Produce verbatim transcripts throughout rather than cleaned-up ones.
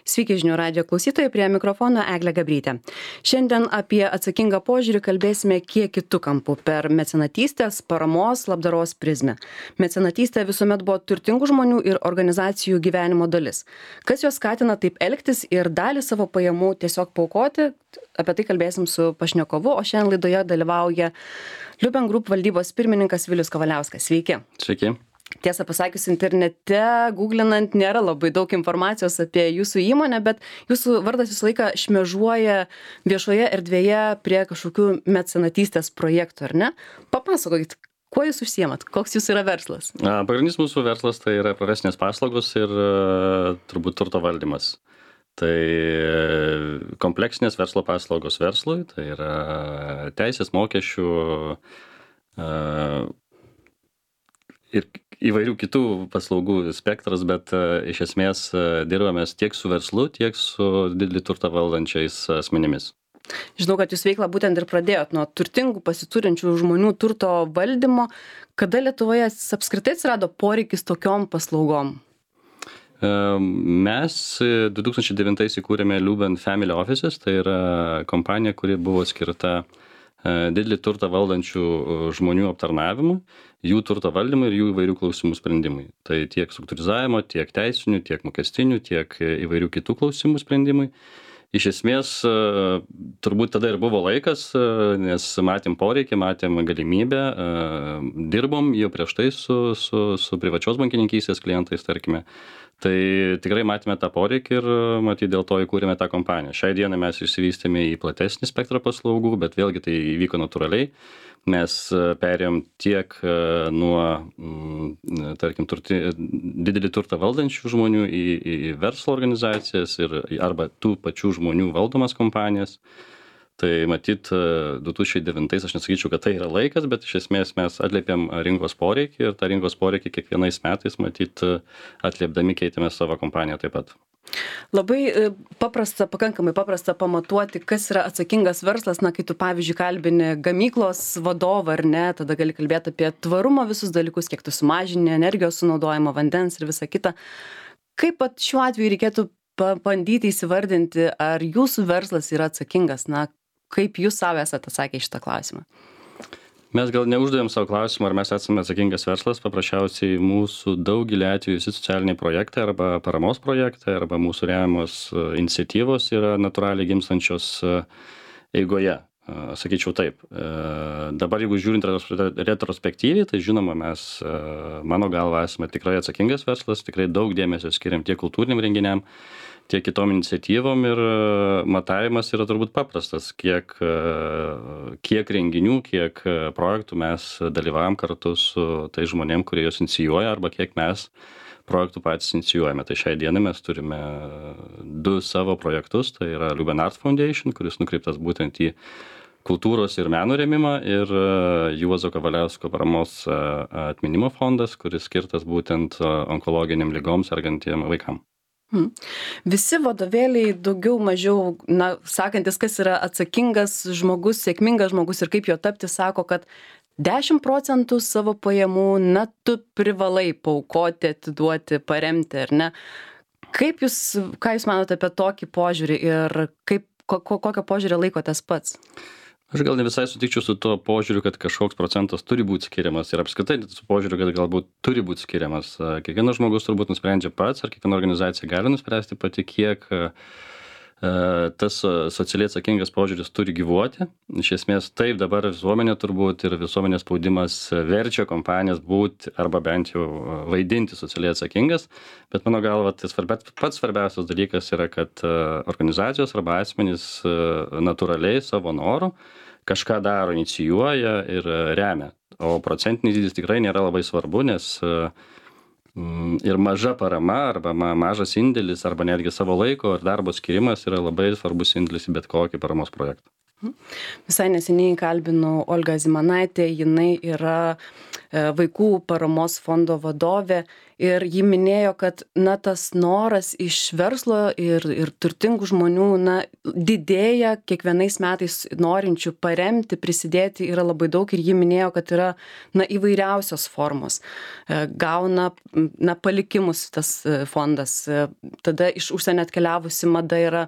Sveiki žinių radijo klausytojai, prie mikrofono Eglė Gabrytė. Šiandien apie atsakingą požiūrį kalbėsime kiek kitų kampų per mecenatystės, paramos, labdaros prizmę. Mecenatystė visuomet buvo turtingų žmonių ir organizacijų gyvenimo dalis. Kas juos skatina taip elgtis ir dalį savo pajamų tiesiog paaukoti, apie tai kalbėsim su pašnekovu, o šiandien laidoje dalyvauja Liuben Group valdybos pirmininkas Vilius Kavaliauskas. Sveiki. Sveiki. Tiesą pasakius, internete, googlinant, nėra labai daug informacijos apie jūsų įmonę, bet jūsų vardas visą laiką šmėžuoja viešoje erdvėje prie kažkokių mecenatystės projektų, ar ne? Papasakokit, kuo jūs užsiemat, koks jūsų yra verslas? Pagrindinis mūsų verslas tai yra profesinės paslaugos ir turbūt turto valdymas. Tai kompleksinės verslo paslaugos verslui, tai yra teisės, mokesčių ir įvairių kitų paslaugų spektras, bet iš esmės dirbamės tiek su verslu, tiek su didelį turtą valdančiais asmenimis. Žinau, kad jūs veiklą būtent ir pradėjot nuo turtingų pasiturinčių žmonių turto valdymo. Kada Lietuvoje apskritai atsirado poreikis tokiom paslaugom? Mes du tūkstančiai devintais įkūrėme Liuben Family Offices, tai yra kompanija, kuri buvo skirta didelį turtą valdančių žmonių aptarnavimui, jų turto valdymui ir jų įvairių klausimų sprendimui. Tai tiek struktūrizavimo, tiek teisinių, tiek mokestinių, tiek įvairių kitų klausimų sprendimui. Iš esmės, turbūt tada ir buvo laikas, nes matėm poreikį, matėm galimybę, dirbom jau prieš tai su, su, su privačios bankininkystės klientais, tarkime. Tai tikrai matėme tą poreikį ir matyt dėl to įkūrėme tą kompaniją. Šiai dienai mes išsivystėme į platesnį spektrą paslaugų, bet vėlgi tai įvyko natūraliai. Mes perėjom tiek nuo, tarkim, turti, didelį turtą valdančių žmonių į, į verslo organizacijas ir arba tų pačių žmonių valdomas kompanijas. Tai matyt, du tūkstančiai devintais aš nesakyčiau, kad tai yra laikas, bet iš esmės mes atliepėm rinkos poreikį ir tą rinkos poreikį kiekvienais metais, matyt, atliepdami keitėme savo kompaniją taip pat. Labai paprasta, pakankamai paprasta pamatuoti, kas yra atsakingas verslas. Na, kai tu, pavyzdžiui, kalbini gamyklos vadovą ar ne, tada gali kalbėti apie tvarumo visus dalykus, kiek tu sumažini energijos sunaudojimo, vandens ir visa kita. Kaip pat šiuo atveju reikėtų pabandyti įsivardinti, ar jūsų verslas yra atsakingas? Na, kaip jūs savo esate atsakę šitą klausimą? Mes gal neuždavėm savo klausimą, ar mes esame atsakingas verslas. Paprasčiausiai mūsų daugelį atvejų visi socialiniai projektai arba paramos projektai arba mūsų remiamos iniciatyvos yra natūraliai gimstančios eigoje. Sakyčiau taip. Dabar jeigu žiūrint retrospektyviai, tai žinoma, mes, mano galva, esame tikrai atsakingas verslas, tikrai daug dėmesio skiriam tiek kultūriniam renginiam, tiek kitom iniciatyvom ir matavimas yra turbūt paprastas, kiek, kiek renginių, kiek projektų mes dalyvavom kartu su tai žmonėm, kurie juos inicijuoja, arba kiek mes projektų patys inicijuojame. Tai šiai dienai mes turime du savo projektus, tai yra Liuben Art Foundation, kuris nukreiptas būtent į kultūros ir meno rėmimą, ir Juozo Kavaliausko paramos atminimo fondas, kuris skirtas būtent onkologiniam ligoms sergantiem vaikam. Hmm. Visi vadovėliai daugiau mažiau, na, sakantis, kas yra atsakingas žmogus, sėkmingas žmogus ir kaip jo tapti, sako, kad dešimt procentų savo pajamų, na, tu privalai paaukoti, atiduoti, paremti, ar ne? Kaip jūs, ką jūs manote apie tokį požiūrį ir kaip, ko, kokio požiūrį laikotės pats? Aš gal ne visai sutikčiau su tuo požiūriu, kad kažkoks procentas turi būti skiriamas ir apskritai su požiūriu, kad galbūt turi būti skiriamas. Kiekvienas žmogus turbūt nusprendžia pats, ar kiekviena organizacija gali nuspręsti pati, kiek tas socialiai atsakingas požiūris turi gyvuoti. Iš esmės taip dabar visuomenė turbūt ir visuomenės spaudimas verčia kompanijas būti arba bent jau vaidinti socialiai atsakingas, bet mano galva tai svarbia, pats svarbiausias dalykas yra, kad organizacijos arba asmenys natūraliai savo noru kažką daro, inicijuoja ir remia. O procentinis dydis tikrai nėra labai svarbu, nes ir maža parama arba mažas indėlis arba netgi savo laiko ar darbo skirimas yra labai svarbus indėlis į bet kokį paramos projektą. Visai neseniai kalbinu Olgą Zimanaitę, jinai yra vaikų paramos fondo vadovė ir ji minėjo, kad, na, tas noras iš verslo ir, ir turtingų žmonių, na, didėja kiekvienais metais norinčių paremti, prisidėti yra labai daug ir ji minėjo, kad yra, na, įvairiausios formos. Gauna, na, palikimus tas fondas, tada iš užsienio atkeliavusi mada yra,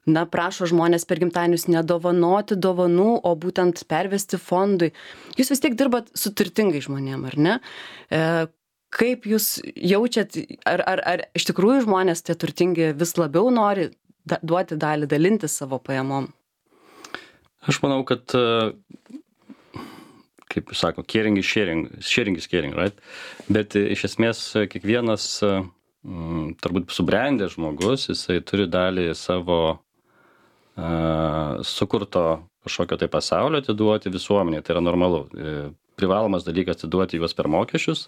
na, prašo žmonės per gimtadienius nedovanoti dovanų, o būtent pervesti fondui. Jūs vis tiek dirbat su turtingais žmonėm, ar ne? E, kaip jūs jaučiat, ar, ar, ar iš tikrųjų žmonės tie turtingi vis labiau nori da, duoti dalį, dalinti savo pajamom? Aš manau, kad, kaip jūs sako, caring is sharing, sharing is caring, right? Bet iš esmės kiekvienas m, turbūt subrendęs žmogus, jisai turi dalį savo sukurto kažkokio tai pasaulio atiduoti visuomenėje, tai yra normalu. Privalomas dalykas atiduoti juos per mokesčius,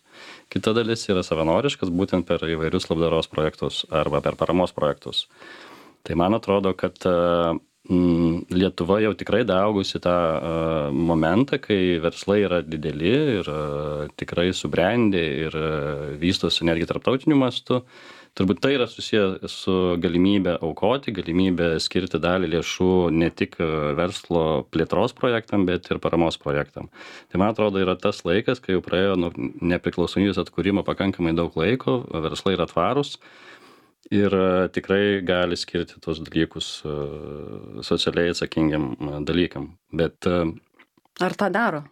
kita dalis yra savanoriškas, būtent per įvairius labdaros projektus arba per paramos projektus. Tai man atrodo, kad mm, Lietuva jau tikrai daugusi tą uh, momentą, kai verslai yra dideli ir uh, tikrai subrendę ir uh, vystosi netgi tarptautiniu mastu. Turbūt tai yra susiję su galimybė aukoti, galimybė skirti dalį lėšų ne tik verslo plėtros projektam, bet ir paramos projektam. Tai man atrodo yra tas laikas, kai jau praėjo nuo nepriklausomybės atkūrimo pakankamai daug laiko, verslai yra tvarūs ir tikrai gali skirti tos dalykus socialiai atsakingiam dalykam. Bet, ar tą daro?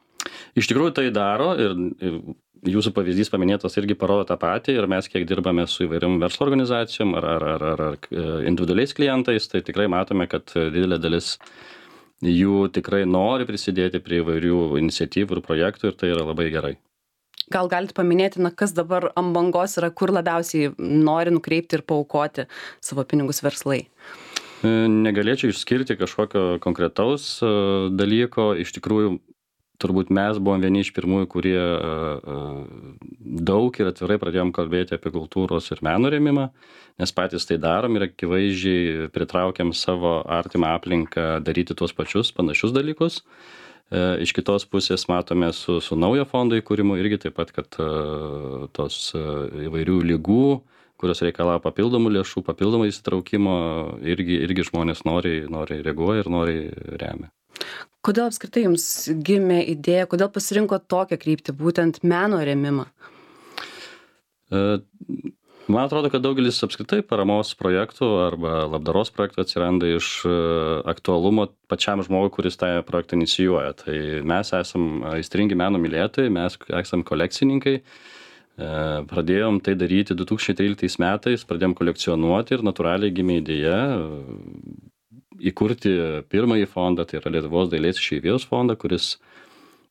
Iš tikrųjų tai daro ir, ir jūsų pavyzdys paminėtas irgi parodo tą patį ir mes kiek dirbame su įvairiom verslo organizacijom ar, ar, ar, ar, ar individualiais klientais, tai tikrai matome, kad didelė dalis jų tikrai nori prisidėti prie įvairių iniciatyvų ir projektų ir tai yra labai gerai. Gal galite paminėti, na, kas dabar ant bangos yra, kur labiausiai nori nukreipti ir paaukoti savo pinigus verslai? Negalėčiau išskirti kažkokio konkretaus dalyko, iš tikrųjų turbūt mes buvom vieni iš pirmųjų, kurie daug ir atvirai pradėjom kalbėti apie kultūros ir meno rėmimą, nes patys tai darom ir akivaizdžiai pritraukiam savo artimą aplinką daryti tuos pačius panašius dalykus. Iš kitos pusės matome su, su naujo fondo įkūrimu irgi taip pat, kad tos įvairių ligų, kurios reikalauja papildomų lėšų, papildomų įsitraukimo, irgi, irgi žmonės nori, nori reaguoja ir nori remia. Kodėl apskritai jums gimė idėja, kodėl pasirinko tokią kryptį, būtent meno rėmimą? Man atrodo, kad daugelis apskritai paramos projektų arba labdaros projektų atsiranda iš aktualumo pačiam žmogui, kuris tą projektą inicijuoja. Tai mes esam aistringi meno mylėtojai, mes esam kolekcininkai. Pradėjom tai daryti du tūkstančiai tryliktais metais, pradėjom kolekcionuoti ir natūraliai gimė idėja įkurti pirmąjį fondą, tai yra Lietuvos dailės išeivijos fondą, kuris,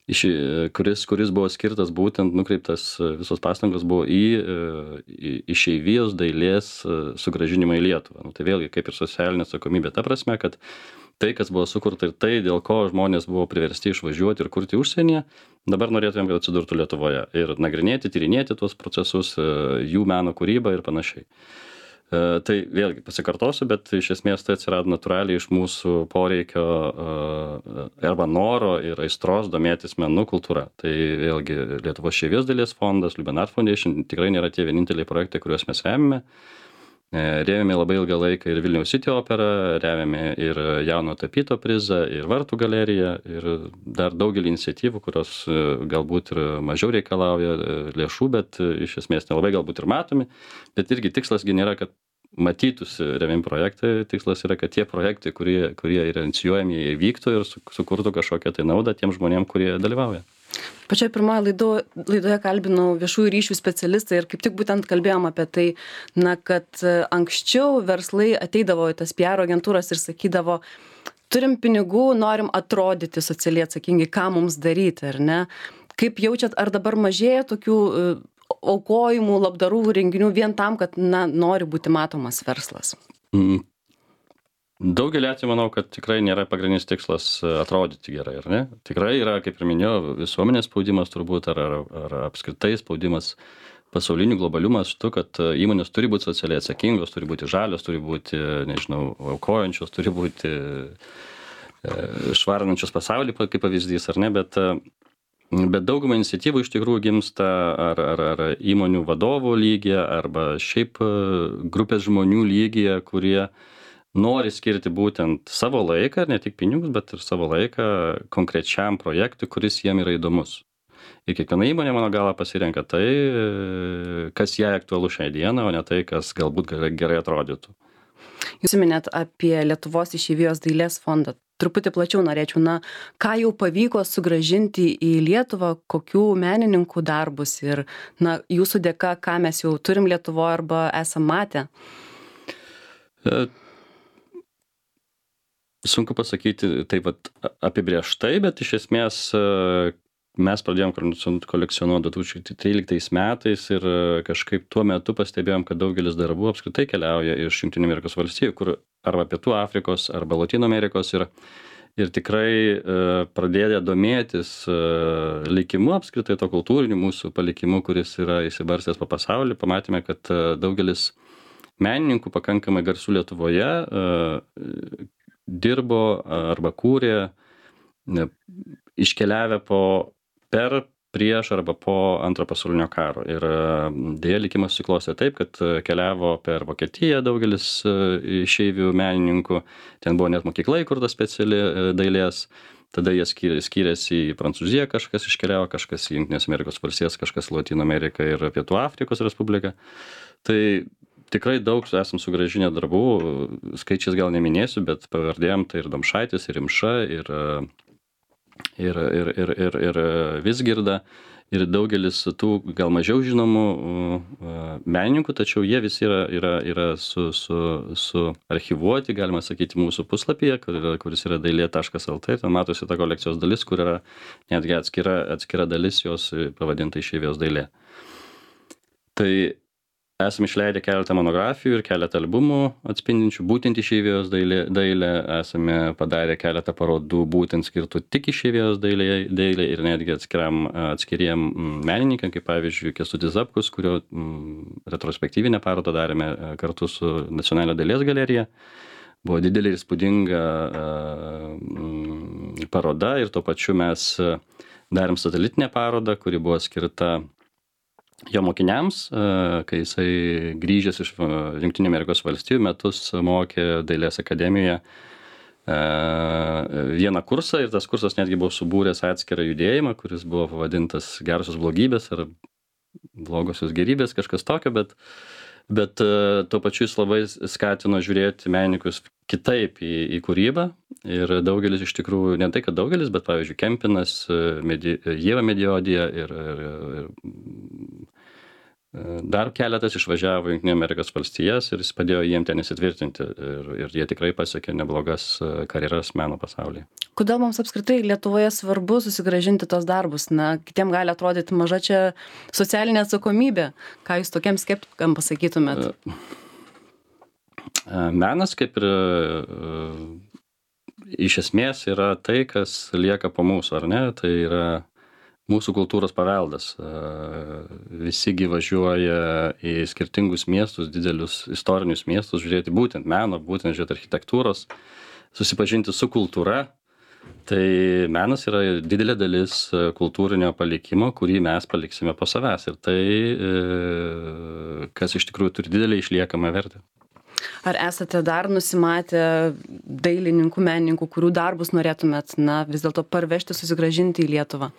iš, kuris, kuris buvo skirtas būtent, nukreiptas, visos pastangos buvo į, į išeivijos dailės sugrąžinimą į Lietuvą. Nu, tai vėlgi kaip ir socialinė atsakomybė, ta prasme, kad tai, kas buvo sukurta ir tai, dėl ko žmonės buvo priversti išvažiuoti ir kurti užsienyje, dabar norėtumėm, kad atsidurtų Lietuvoje ir nagrinėti, tyrinėti tuos procesus, jų meno kūrybą ir panašiai. Tai vėlgi pasikartosiu, bet iš esmės tai atsirado natūraliai iš mūsų poreikio arba noro ir aistros domėtis menų kultūra. Tai vėlgi Lietuvos išeivijos dailės fondas, Liuben Art Foundation tikrai nėra tie vieninteliai projektai, kuriuos mes remiame. Rėmėme labai ilgą laiką ir Vilniaus City operą, rėmėme ir jauno tapyto prizą, ir Vartų galeriją, ir dar daugelį iniciatyvų, kurios galbūt ir mažiau reikalauja lėšų, bet iš esmės nelabai galbūt ir matomi. Bet irgi tikslasgi nėra, kad matytųsi remiami projektai, tikslas yra, kad tie projektai, kurie, kurie yra inicijuojami, jie įvyktų ir sukurtų kažkokią tai naudą tiem žmonėm, kurie dalyvauja. Pačioje pirmoje laido, laidoje kalbinau viešųjų ryšių specialistą ir kaip tik būtent kalbėjom apie tai, na, kad anksčiau verslai ateidavo į tas P R agentūras ir sakydavo, turim pinigų, norim atrodyti socialiai atsakingai, ką mums daryti, ar ne? Kaip jaučiat, ar dabar mažėja tokių uh, aukojimų, labdarų renginių vien tam, kad, na, nori būti matomas verslas? Mm. Daugelį atvejų manau, kad tikrai nėra pagrindinis tikslas atrodyti gerai, ar ne? Tikrai yra, kaip ir minėjau, visuomenės spaudimas turbūt, ar, ar, ar apskritai spaudimas pasaulinių globalių mastų, kad įmonės turi būti socialiai atsakingos, turi būti žalios, turi būti, nežinau, aukojančios, turi būti švarinančios pasaulį, kaip pavyzdys, ar ne? Bet Bet dauguma iniciatyvų iš tikrųjų gimsta ar, ar, ar įmonių vadovų lygyje, arba šiaip grupės žmonių lygyje, kurie nori skirti būtent savo laiką, ne tik pinigus, bet ir savo laiką konkrečiam projektui, kuris jiem yra įdomus. Ir kiekviena įmonė, mano galva, pasirenka tai, kas jai aktualu šią dieną, o ne tai, kas galbūt gerai atrodytų. Jūs minėt apie Lietuvos išeivijos dailės fondą. Truputį plačiau norėčiau, na, ką jau pavyko sugrąžinti į Lietuvą, kokių menininkų darbus ir, na, jūsų dėka, ką mes jau turim Lietuvoje arba esam matę? E, sunku pasakyti taip vat apibrėžtai, bet iš esmės mes pradėjom kolekcionuoti du tūkstančiai tryliktais metais ir kažkaip tuo metu pastebėjom, kad daugelis darbų apskritai keliauja iš Jungtinių Amerikos valstijų, kur arba Pietų Afrikos, arba Lotynų Amerikos ir, ir tikrai pradėję domėtis likimu apskritai to kultūriniu mūsų palikimu, kuris yra įsibarstęs po pasaulį, pamatėme, kad daugelis menininkų pakankamai garsų Lietuvoje dirbo arba kūrė iškeliavę po per, prieš arba po antro pasaulinio karo. Ir dėja likimas susiklostė taip, kad keliavo per Vokietiją daugelis išeivių menininkų, ten buvo net mokykla įkurta speciali dailės, tada jie skyrėsi į Prancūziją, kažkas iškeliavo, kažkas į Jungtinės Amerikos valstijas, kažkas į Lotynų Ameriką ir Pietų Afrikos Respubliką. Tai tikrai daug esam sugrąžinę darbų, skaičiais gal neminėsiu, bet pavardėjom tai ir Domšaitis, ir Rimša, ir ir, ir, ir, ir, ir Vizgirda, ir daugelis tų gal mažiau žinomų menininkų, tačiau jie visi yra, yra, yra su, su, su archivuoti, galima sakyti, mūsų puslapyje, kur yra, kuris yra dailė taškas el tė, ten matosi ta kolekcijos dalis, kur yra netgi atskira, atskira dalis jos pavadinta išeivijos dailė. Tai esame išleidę keletą monografijų ir keletą albumų atspindinčių būtent išeivijos dailę, dailę. Esame padarę keletą parodų būtent skirtų tik išeivijos dailė, dailė ir netgi atskiram, atskiriem menininkam, kaip pavyzdžiui Kęstutis Zapkus, kurio mm, retrospektyvinę parodą darėme kartu su Nacionalinio dailės galerija. Buvo didelė ir įspūdinga mm, paroda ir tuo pačiu mes darėm satelitinę parodą, kuri buvo skirta jo mokiniams, kai jisai grįžęs iš Jungtinių Amerikos valstijų metus mokė dailės akademijoje vieną kursą ir tas kursas netgi buvo subūręs atskirą judėjimą, kuris buvo pavadintas gerosios blogybės ar blogosios gerybės, kažkas tokio, bet, bet tuo pačiu jis labai skatino žiūrėti menininkus kitaip į, į kūrybą ir daugelis iš tikrųjų, ne tai kad daugelis, bet pavyzdžiui Kempinas, Medi, Ieva Mediodija ir, ir, ir dar keletas išvažiavo į Jungtinių Amerikos valstijas ir jis padėjo jiem ten įsitvirtinti ir, ir jie tikrai pasiekė neblogas karjeras meno pasaulyje. Kodėl mums apskritai Lietuvoje svarbu susigrąžinti tos darbus? Na, kitiem gali atrodyti maža čia socialinė atsakomybė. Ką jūs tokiam skeptikam pasakytumėt? Menas kaip ir iš esmės yra tai, kas lieka po mūsų, ar ne? Tai yra mūsų kultūros paveldas. Visi gi važiuoja į skirtingus miestus, didelius istorinius miestus, žiūrėti būtent meno, būtent žiūrėti architektūros, susipažinti su kultūra. Tai menas yra didelė dalis kultūrinio palikimo, kurį mes paliksime po savęs. Ir tai, kas iš tikrųjų turi didelį išliekamą vertę. Ar esate dar nusimatę dailininkų, menininkų, kurių darbus norėtumėt, na, vis dėlto parvežti, susigrąžinti į Lietuvą?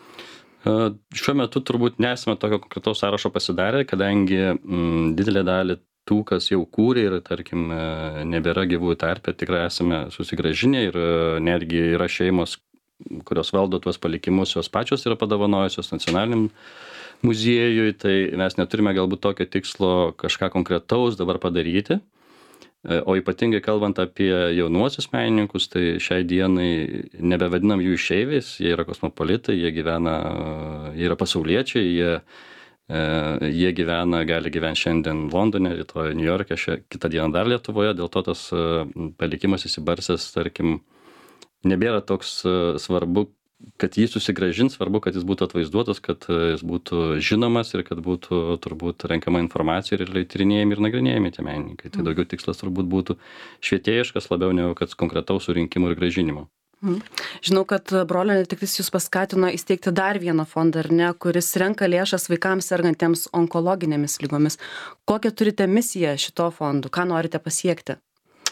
Šiuo metu turbūt nesame tokio konkretaus sąrašo pasidarę, kadangi mm, didelė dalį tų, kas jau kūrė ir, tarkim, nebėra gyvųjų tarpe, tikrai esame susigrąžinę ir netgi yra šeimos, kurios valdo tuos palikimus, jos pačios yra padovanojusios nacionaliniam muziejui, tai mes neturime galbūt tokio tikslo kažką konkretaus dabar padaryti. O ypatingai kalbant apie jaunuosius menininkus, tai šiai dienai nebevadinam jų išeiviais, jie yra kosmopolitai, jie gyvena, jie yra pasauliečiai, jie, jie gyvena, gali gyventi šiandien Londone, rytoj New York'e, kitą dieną dar Lietuvoje, dėl to tas palikimas įsibarsęs, tarkim, nebėra toks svarbu, kad jį susigrąžins, svarbu, kad jis būtų atvaizduotas, kad jis būtų žinomas ir kad būtų turbūt renkama informacija ir tyrinėjami ir nagrinėjami tie menininkai. Tai daugiau tikslas turbūt būtų švietėjiškas labiau negu kad konkretaus surinkimo ir grąžinimo. Mhm. Žinau, kad brolio netektis jūs paskatino įsteigti dar vieną fondą, ar ne, kuris renka lėšas vaikams sergantiems onkologinėmis lygomis. Kokią turite misiją šito fondu? Ką norite pasiekti?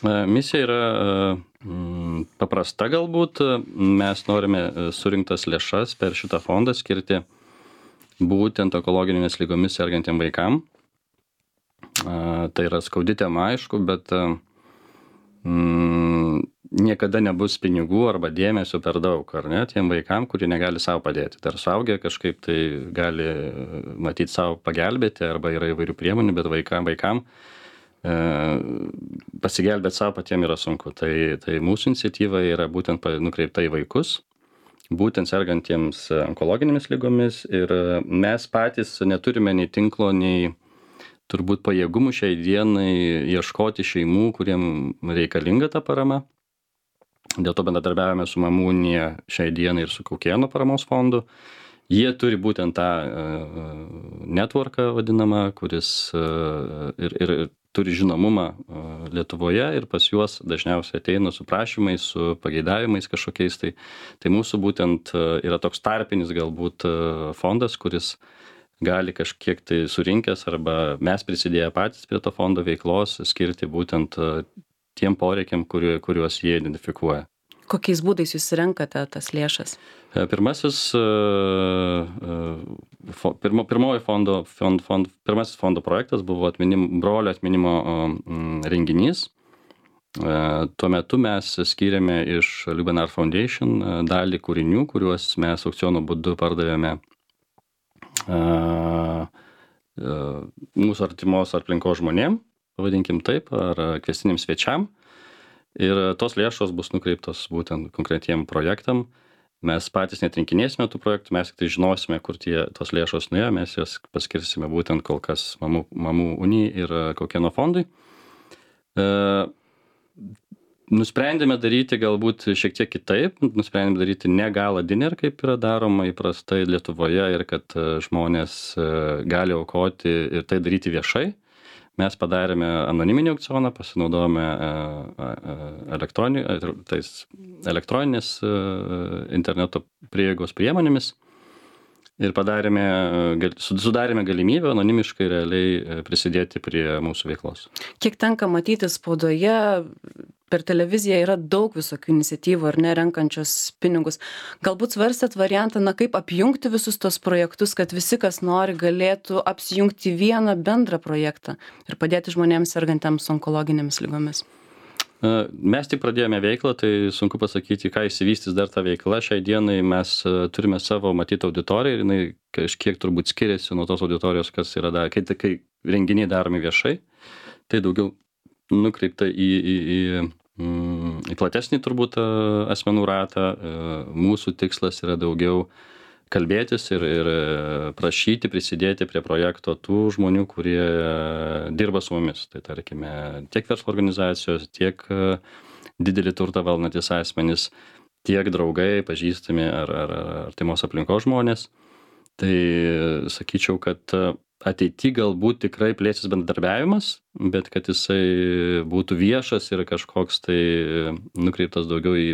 Misija yra mm, paprasta galbūt. Mes norime surinktas lėšas per šitą fondą skirti būtent onkologinėmis lygomis sergantiem vaikam. Tai yra skaudi tema, aišku, bet mm, niekada nebus pinigų arba dėmesio per daug, ar ne, tiem vaikam, kurie negali savo padėti. Dar suaugę kažkaip tai gali matyti savo pagelbėti, arba yra įvairių priemonių, bet vaikam, vaikam e, pasigelbėti savo patiem yra sunku. Tai, tai mūsų iniciatyva yra būtent nukreipta į vaikus, būtent sergantiems onkologinėmis lygomis, ir mes patys neturime nei tinklo, nei turbūt pajėgumų šiai dienai ieškoti šeimų, kuriem reikalinga ta parama. Dėl to bendradarbiavome su Mamų unija šiai dienai ir su Kaukėno paramos fondu. Jie turi būtent tą uh, networką vadinamą, kuris uh, ir, ir turi žinomumą uh, Lietuvoje, ir pas juos dažniausiai ateina su prašymais, su pageidavimais kažkokiais. Tai, tai mūsų būtent uh, yra toks tarpinis galbūt uh, fondas, kuris gali kažkiek tai surinkęs arba mes prisidėję patys prie to fondo veiklos skirti būtent uh, tiem poreikiam, kuriu, kuriuos jie identifikuoja. Kokiais būdais jūs renkate tas lėšas? Pirmasis, pirmo, pirmoji fondo, fond, fond, pirmasis fondo projektas buvo atminim, brolio atminimo renginys. Tuo metu mes skyrėme iš Lubenar Foundation dalį kūrinių, kuriuos mes aukciono būdu pardavėme mūsų artimos aplinkos žmonėm, pavadinkim taip, ar kvestiniam svečiam. Ir tos lėšos bus nukreiptos būtent konkretiem projektam. Mes patys netrinkinėsime tų projektų, mes tik tai žinosime, kur tie tos lėšos nuėjo, mes jas paskirsime būtent kol kas Mamų, Mamų unijai ir Kaukėno fondui. E, nusprendėme daryti galbūt šiek tiek kitaip, nusprendėme daryti ne gala dinner, kaip yra daroma įprastai Lietuvoje, ir kad žmonės gali aukoti ir tai daryti viešai. Mes padarėme anoniminį aukcioną, pasinaudojome elektroni, tais elektroninės interneto prieigos priemonėmis ir padarėme, sudarėme galimybę anonimiškai realiai prisidėti prie mūsų veiklos. Kiek tenka matyti spaudoje, per televiziją yra daug visokių iniciatyvų, ar ne, renkančios pinigus. Galbūt svarstėt variantą, na, kaip apjungti visus tos projektus, kad visi, kas nori, galėtų apsijungti vieną bendrą projektą ir padėti žmonėms sergantiems onkologinėmis lygomis. Mes tik pradėjome veiklą, tai sunku pasakyti, ką įsivystys dar ta veikla. Šiai dienai mes turime savo matytą auditoriją ir jinai kažkiek turbūt skiriasi nuo tos auditorijos, kas yra dar, kai, kai renginiai daromi viešai. Tai daugiau nukreipta į, į, į į platesnį turbūt asmenų ratą. Mūsų tikslas yra daugiau kalbėtis ir, ir prašyti prisidėti prie projekto tų žmonių, kurie dirba su mumis. Tai tarkime, tiek verslo organizacijos, tiek didelį turtą valdantis asmenys, tiek draugai, pažįstami ar, ar, ar artimos aplinkos žmonės. Tai sakyčiau, kad ateity galbūt tikrai plėsis bendradarbiavimas, bet kad jisai būtų viešas ir kažkoks tai nukreiptas daugiau į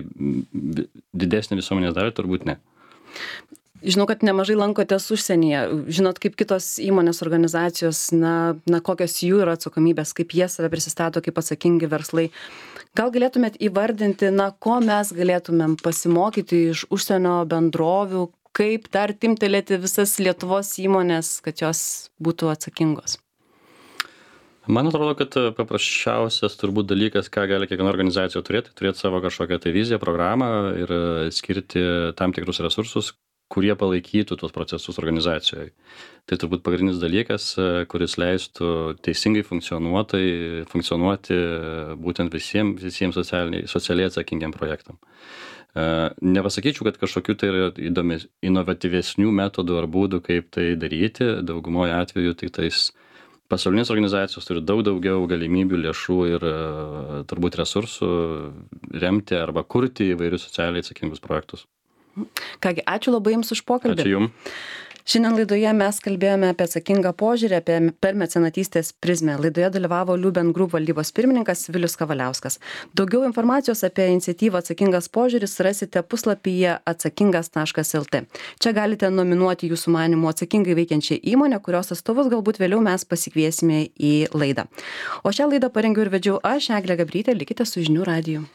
didesnį visuomenės dalį, turbūt ne. Žinau, kad nemažai lankotės užsienyje. Žinot, kaip kitos įmonės organizacijos, na, na kokios jų yra atsakomybės, kaip jie save prisistato kaip atsakingi verslai. Gal galėtumėt įvardinti, na, ko mes galėtumėm pasimokyti iš užsienio bendrovių, kaip dar timtelėti visas Lietuvos įmonės, kad jos būtų atsakingos? Man atrodo, kad paprasčiausias turbūt dalykas, ką gali kiekviena organizacija turėti, turėti savo kažkokią tai viziją, programą ir skirti tam tikrus resursus, kurie palaikytų tuos procesus organizacijoje. Tai turbūt pagrindinis dalykas, kuris leistų teisingai funkcionuoti, funkcionuoti būtent visiems, visiems socialiai, socialiai atsakingiam projektam. Nepasakyčiau, kad kažkokių tai yra įdomis, inovatyvesnių metodų ar būdų, kaip tai daryti. Daugumoje atveju tik tais pasaulinės organizacijos turi daug daugiau galimybių, lėšų ir turbūt resursų remti arba kurti įvairius socialiai atsakingus projektus. Kągi, ačiū labai Jums už pokalbį. Ačiū Jums. Šiandien laidoje mes kalbėjome apie atsakingą požiūrį, apie per mecenatystės prizmę. Laidoje dalyvavo Liuben Group valdybos pirmininkas Vilius Kavaliauskas. Daugiau informacijos apie iniciatyvą Atsakingas požiūris rasite puslapyje atsakingas taškas lt. Čia galite nominuoti jūsų manimų atsakingai veikiančią įmonę, kurios atstovus galbūt vėliau mes pasikviesime į laidą. O šią laidą parengiau ir vedžiau aš, Eglė Gabrytė, likite su Žinių radiju.